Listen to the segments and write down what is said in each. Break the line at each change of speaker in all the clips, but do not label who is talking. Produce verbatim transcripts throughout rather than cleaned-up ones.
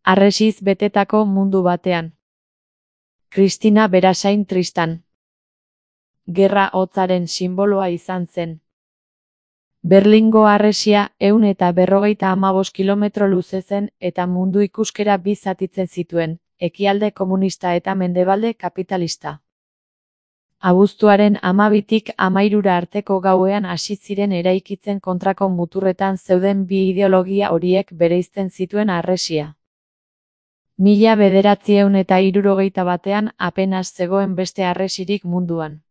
Harresiz betetako mundu batean. Kristina Berasain Tristan. Gerra hotzaren sinboloa izan zen. Berlingo harresia ehun eta berrogeita hamabost kilometro luze zen eta mundu ikuskera bi zatitzen zituen, ekialde komunista eta mendebalde kapitalista. Abuztuaren hamabitik hamairura arteko gauean hasi ziren eraikitzen kontrako muturretan zeuden bi ideologia horiek bereizten zituen harresia. Mila bederatziehun eta hirurogeita batean apenas zegoen beste harresirik munduan.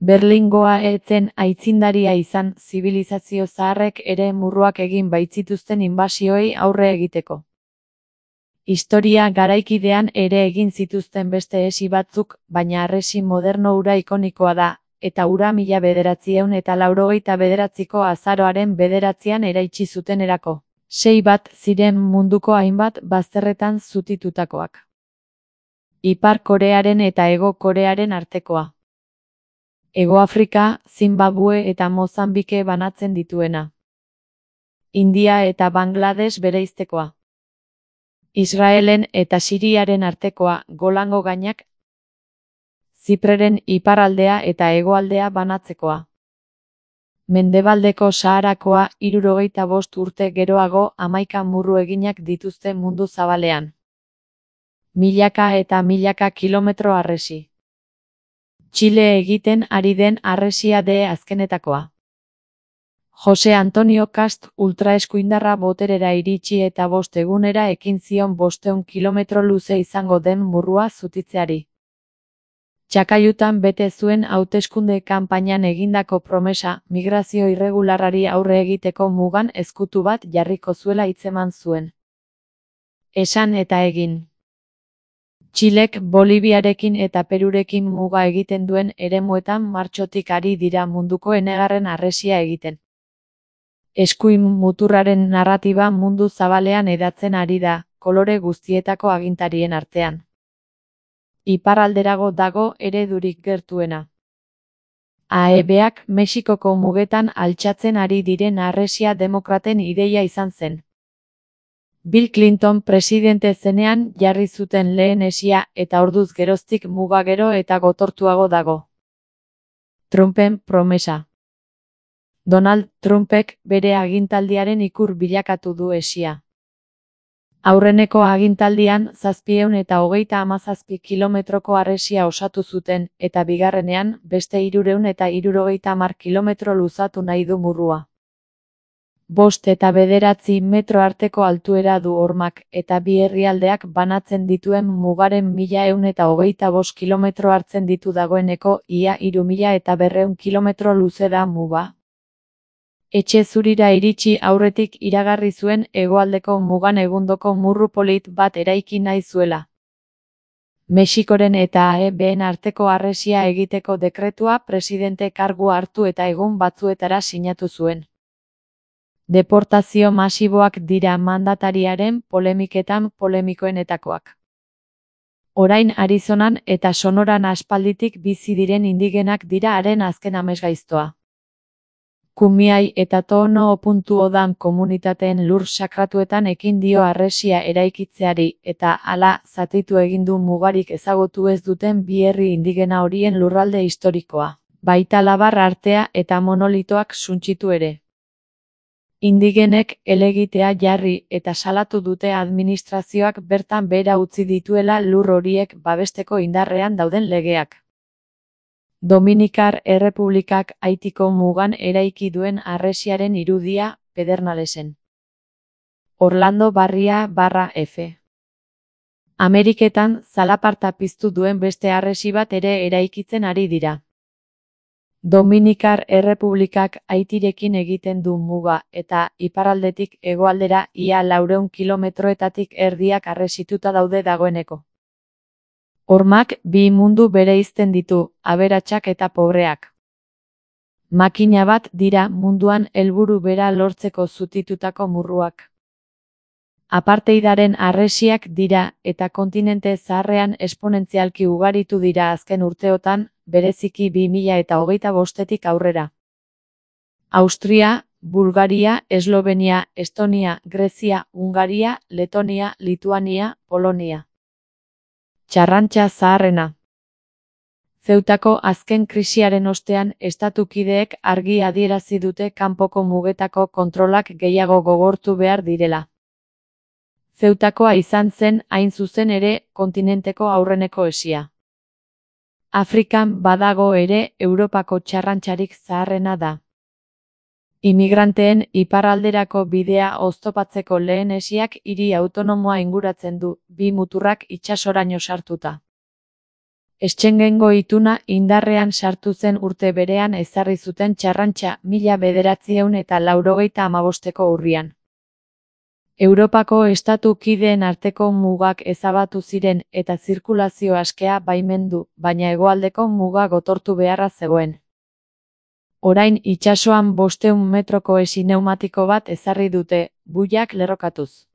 Berlingoa ez zen aitzindaria izan zibilizazio zaharrek ere murruak egin baitzituzten inbasioei aurre egiteko. Historia garaikidean ere egin zituzten beste esi batzuk, baina harresi moderno hura ikonikoa da, eta hura mila bederatziehun eta laurogeita bederatziko azaroaren bederatzian eraitsi zutenerako. Sei bat ziren munduko hainbat bazterretan zutitutakoak. Ipar Korearen eta Hego Korearen artekoa. Hego Afrika, Zimbabue eta Mozambike banatzen dituena. India eta Bangladesh bereiztekoa. Israelen eta Siriaren artekoa, Golango gainak. Zipreren iparraldea eta hegoaldea banatzekoa. Mendebaldeko Saharakoa, hirurogeita bost urte geroago hamaika murru eginak dituzte mundu zabalean. Milaka eta milaka kilometro harresi. Txile egiten ari den harresia de azkenetakoa. Jose Antonio Cast ultraeskuindarra boterera iritsi eta bost egunera ekin zion bosteun kilometro luze izango den murrua zutitzeari. Txakaiutan bete zuen hauteskunde kanpainan egindako promesa, migrazio irregularrari aurre egiteko mugan ezkutu bat jarriko zuela hitzeman zuen. Esan eta egin. Txilek Boliviarekin eta Perurekin muga egiten duen eremuetan martxotik ari dira munduko enegarren harresia egiten. Eskuin muturraren narratiba mundu zabalean hedatzen ari da, kolore guztietako agintarien artean. Iparralderago dago eredurik gertuena. A E Bak Mexikoko mugetan altxatzen ari diren harresia demokraten ideia izan zen. Bill Clinton presidente zenean jarri zuten lehen hesia eta orduz geroztik muga gero eta gotortuago dago. Trumpen promesa. Donald Trumpek bere agintaldiaren ikur bilakatu du hesia. Aurreneko agintaldian zazpiehun eta hogeita hamazazpi kilometroko harresia osatu zuten, eta bigarrenean beste hirurehun eta hirurogeita hamar kilometro luzatu nahi du murrua. Bost eta bederatzi metro arteko altuera du hormak, eta bi herrialdeak banatzen dituen mugaren mila ehun eta hogeita bost kilometro hartzen ditu dagoeneko, ia hiru mila eta berrehun kilometro luze da muga. Etxe zurira iritsi aurretik iragarri zuen hegoaldeko mugan egundoko murru polit bat eraiki nahi zuela. Mexikoren eta A E Bn arteko harresia egiteko dekretua presidente kargua hartu eta egun batzuetara sinatu zuen. Deportazio masiboak dira mandatariaren polemiketan polemikoenetakoak. Orain Arizonan eta Sonoran aspalditik bizi diren indigenak dira haren azken amesgaiztoa. Kumiai eta Tohono Opuntu Odan komunitateen lur sakratuetan ekin dio harresia eraikitzeari eta hala zatitu egin du mugarik ezagutu ez duten bi herri indigena horien lurralde historikoa, baita labar artea eta monolitoak suntsitu ere. Indigenek helegitea jarri eta salatu dute administrazioak bertan behera utzi dituela lur horiek babesteko indarrean dauden legeak. Dominikar Errepublikak Haitiko mugan eraiki duen harresiaren irudia, Pedernalesen. Orlando Barria barra F. Ameriketan zalaparta piztu duen beste harresi bat ere eraikitzen ari dira. Dominikar Errepublikak Haitirekin egiten du muga eta iparraldetik hegoaldera ia laurehun kilometroetatik erdiak harresituta daude dagoeneko. Hormak bi mundu bereizten ditu, aberatsak eta pobreak. Makina bat dira munduan helburu bera lortzeko zutitutako murruak. Apartheidaren harresiak dira eta kontinente zaharrean esponentzialki ugaritu dira azken urteotan, bereziki bi mila eta hogeita bostetik aurrera. Austria, Bulgaria, Eslovenia, Estonia, Grezia, Hungaria, Letonia, Lituania, Polonia. Txarrantxa zaharrena. Zeutako azken krisiaren ostean estatukideek argi adierazi dute kanpoko mugetako kontrolak gehiago gogortu behar direla. Zeutakoa izan zen hain zuzen ere kontinenteko aurreneko esia. Afrikan badago ere Europako txarrantxarik zaharrena da. Imigranteen iparralderako bidea oztopatzeko lehen esiak hiri autonomoa inguratzen du, bi muturrak itsasoraino sartuta. Schengengo ituna indarrean sartu zen urte berean ezarri zuten txarrantxa mila bederatziehun eta laurogeita hamabosteko urrian. Europako estatu kideen arteko mugak ezabatu ziren eta zirkulazio askea baimendu, baina hegoaldeko muga gotortu beharra zegoen. Orain itsasoan bostehun metroko esi pneumatiko bat ezarri dute, buiak lerrokatuz.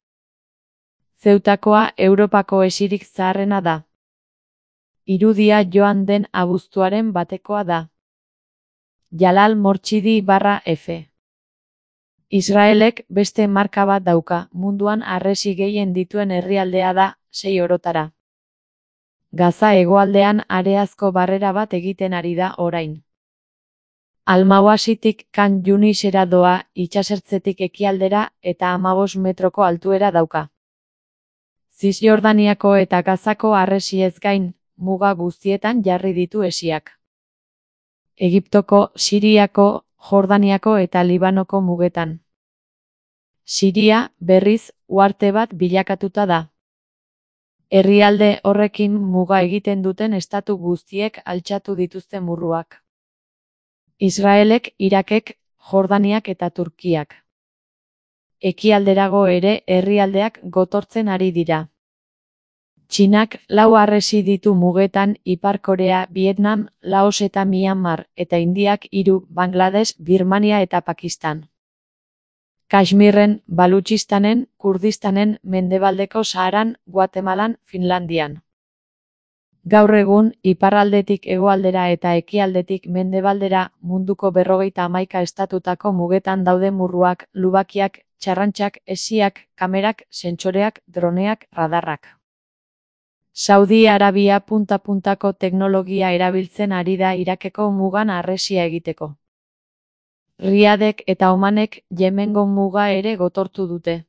Zeutakoa Europako esirik zaharrena da. Irudia joan den abuztuaren batekoa da. Jalal Mortxidi barra F. Israelek beste marka bat dauka, munduan harresi gehien dituen herrialdea da, sei orotara. Gaza hegoaldean areazko barrera bat egiten ari da orain. Almawasitik Kan Yunisera doa, itsasertzetik ekialdera eta hamabost metroko altuera dauka. Zisjordaniako eta Gazako harresiez gain, muga guztietan jarri ditu esiak. Egiptoko, Siriako, Jordaniako eta Libanoko mugetan. Siria, berriz, uharte bat bilakatuta da. Herrialde horrekin muga egiten duten estatu guztiek altxatu dituzte murruak. Israelek, Irakek, Jordaniak eta Turkiak. Ekialderago ere herrialdeak gotortzen ari dira. Txinak lau harresi ditu mugetan Ipar Korea, Vietnam, Laos eta Myanmar, eta Indiak hiru, Bangladesh, Birmania eta Pakistan. Kashmirren, Balutxistanen, Kurdistanen, Mendebaldeko Saharan, Guatemalan, Finlandian. Gaur egun, iparraldetik hegoaldera eta ekialdetik mendebaldera munduko berrogeita hamaika estatutako mugetan daude murruak, lubakiak, txarrantxak, esiak, kamerak, sentsoreak, droneak, radarrak. Saudi Arabia punta-puntako teknologia erabiltzen ari da Irakeko mugan harresia egiteko. Riadek eta Omanek Yemengo muga ere gotortu dute.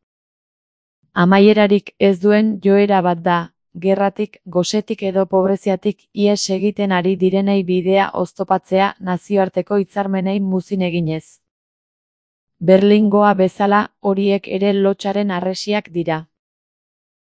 Amaierarik ez duen joera bat da, gerratik, gosetik edo pobreziatik ihes egiten ari direnei bidea oztopatzea nazioarteko hitzarmenei muzin eginez. Berlingoa bezala horiek ere lotsaren harresiak dira.